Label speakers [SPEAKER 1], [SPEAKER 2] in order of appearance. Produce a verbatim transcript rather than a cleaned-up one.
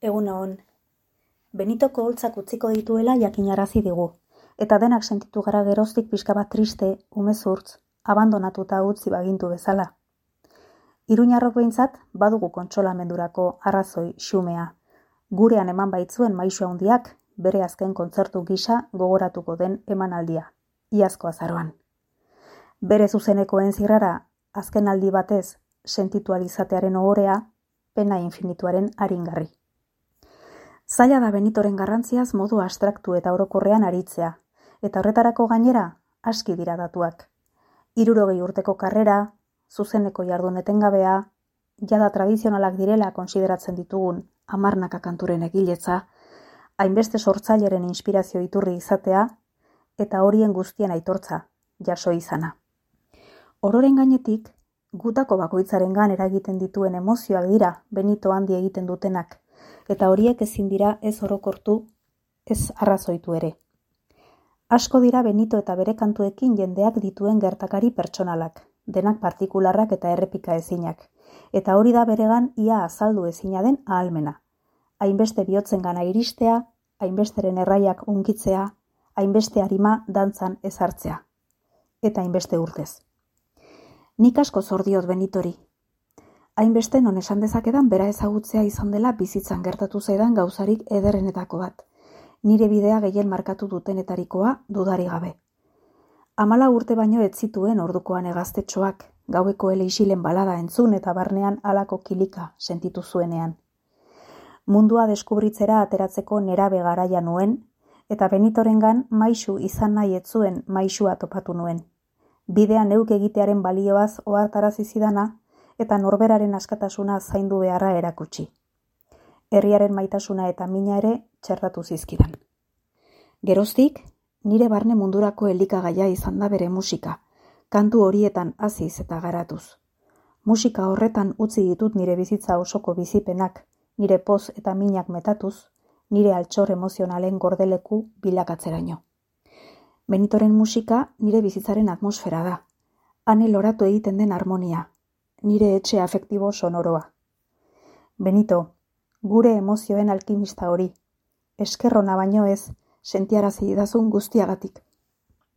[SPEAKER 1] Egun on. Benitoko holtzak utziko dituela jakinarazi digu, eta denak sentitu gara geroztik pixka bat triste, umezurtz, abandonatuta utzi bagintu bezala. Iruñarrok behintzat badugu kontsolamendurako arrazoi xumea. Gurean eman baitzuen maisu handiak bere azken kontzertu gisa gogoratuko den emanaldia, iazko azaroan. Bere zuzenekoen zirrara, azken aldi batez sentitualizatearen ohorea, pena infinituaren aringarri. Zaila da Benitoren garrantziaz modu abstraktu eta orokorrean aritzea, eta horretarako gainera aski dira datuak. Hirurogei urteko karrera, zuzeneko jardun etengabea, jada tradizionalak direla konsideratzen ditugun hamarnaka kanturen egiletza, hainbeste sortzaileren inspirazio iturri izatea, eta horien guztien aitortza, jaso izana. Ororen gainetik, gutako bakoitzarengan eragiten dituen emozioak dira Benito handi egiten dutenak, eta horiek ezin dira ez orokortu, ez arrazoitu ere. Asko dira Benito eta bere kantuekin jendeak dituen gertakari pertsonalak, denak partikularrak eta errepika ezinak, eta hori da beregan ia azaldu ezina den ahalmena. Hainbeste bihotzen gana iristea, hainbesteren erraiak unkitzea, hainbeste arima dantzan ezartzea, eta hainbeste urtez. Nik asko zor diot Benitori. Hainbeste non esan dezakedan bera ezagutzea izan dela bizitzan gertatu zaidan gauzarik ederrenetako bat. Nire bidea gehien markatu dutenetarikoa dudari gabe. Hamala urte baino ez zituen ordukoan egaztetxoak, gaueko eleixilen balada entzun eta barnean halako kilika sentitu zuenean. Mundua deskubritzera ateratzeko nerabe garaia nuen, eta Benitorengan maisu izan nahi ez zuen maisua topatu nuen. Bidea neuk egitearen balioaz ohartarazi zidana, eta norberaren askatasuna zaindu beharra erakutsi. Herriaren maitasuna eta mina ere txertatu zizkidan. Geroztik, nire barne mundurako elikagaia izan da bere musika, kantu horietan haziz eta garatuz. Musika horretan utzi ditut nire bizitza osoko bizipenak, nire poz eta minak metatuz, nire altxor emozionalen gordeleku bilakatzeraino. Benitoren musika nire bizitzaren atmosfera da, hane loratu egiten den harmonia, nire etxe afektibo sonoroa. Benito, gure emozioen alkimista hori, eskerrona baino ez, sentiarazi idazun guztiagatik.